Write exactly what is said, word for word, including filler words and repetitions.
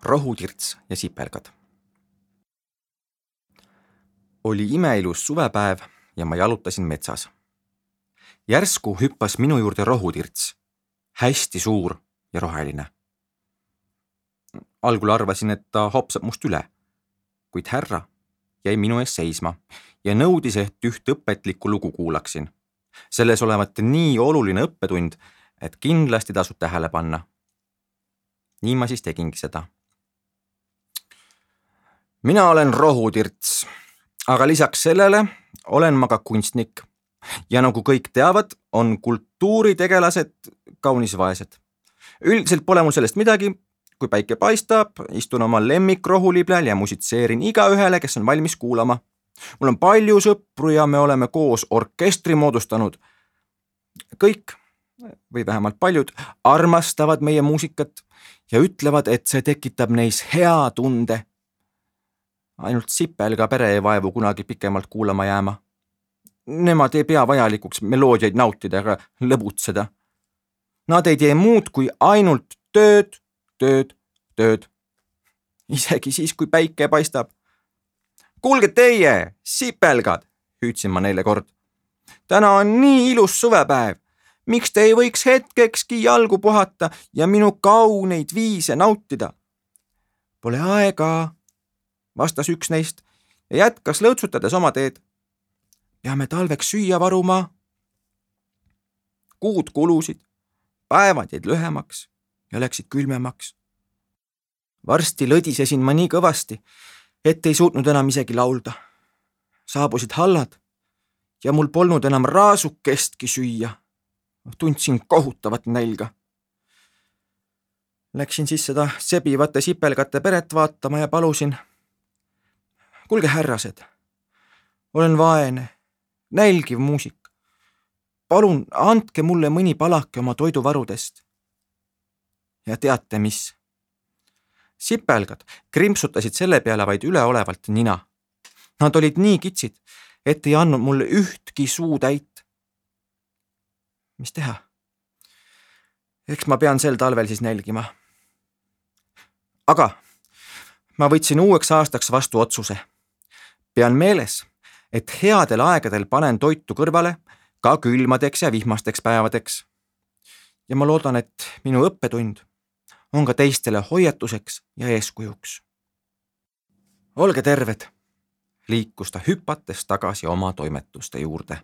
rohutirts ja sipelgad. Oli imeilus suvepäev ja ma jalutasin metsas. Järsku hüppas minu juurde rohutirts, hästi suur ja roheline. Algul arvasin, et ta hopsab must üle, kuid härra jäi minu ees seisma ja nõudis, et üht õpetlikku lugu kuulaksin. Selles olevat nii oluline õppetund, et kindlasti tasub tähele panna. Nii ma siis tegingi seda. Mina olen rohutirts, aga lisaks sellele olen ma ka kunstnik. Ja nagu kõik teavad, on kultuuritegelased kaunis vaesed. Üldiselt pole mul sellest midagi, kui päike paistab, istun oma lemmikrohuliblel ja musitseerin iga ühele, kes on valmis kuulama. Mul on palju sõpru ja me oleme koos orkestri moodustanud. Kõik, või vähemalt paljud, armastavad meie muusikat ja ütlevad, et see tekitab neis hea tunde. Ainult sipelga pere ei vaevu kunagi pikemalt kuulama jääma. Nemad ei pea vajalikuks meloodiaid nautida ega lõbutseda. Nad ei tee muud kui ainult tööd, tööd, tööd. Isegi siis, kui päike paistab. Kuulge teie, sipelgad, hüüdsin ma neile kord. Täna on nii ilus suvepäev. Miks te ei võiks hetkekski jalgu puhata ja minu kauneid viise nautida? Pole aega, vastas üks neist ja jätkas lõõtsutades oma teed. Peame talveks süüa varuma. Kuud kulusid, päevad jäid lühemaks ja läksid külmemaks. Varsti lõdisesin ma nii kõvasti, et ei suutnud enam isegi laulda. Saabusid hallad ja mul polnud enam raasukestki süüa. Tundsin kohutavat nälga. Läksin siis seda sebivate sipelgate peret vaatama ja palusin. Kuulge härrased, olen vaene, nälgiv muusik. Palun andke mulle mõni palake oma toiduvarudest. Ja teate mis? Sipelgad krimpsutasid selle peale vaid üleolevalt nina. Nad olid nii kitsid, et ei andnud mulle ühtki suu täit. Mis teha? Eks ma pean sel talvel siis nälgima. Aga ma võtsin uueks aastaks vastu otsuse. Pean meeles, et headel aegadel panen toitu kõrvale ka külmadeks ja vihmasteks päevadeks. Ja ma loodan, et minu õppetund on ka teistele hoiatuseks ja eeskujuks. Olge terved, liikus ta hüpates tagasi oma toimetuste juurde.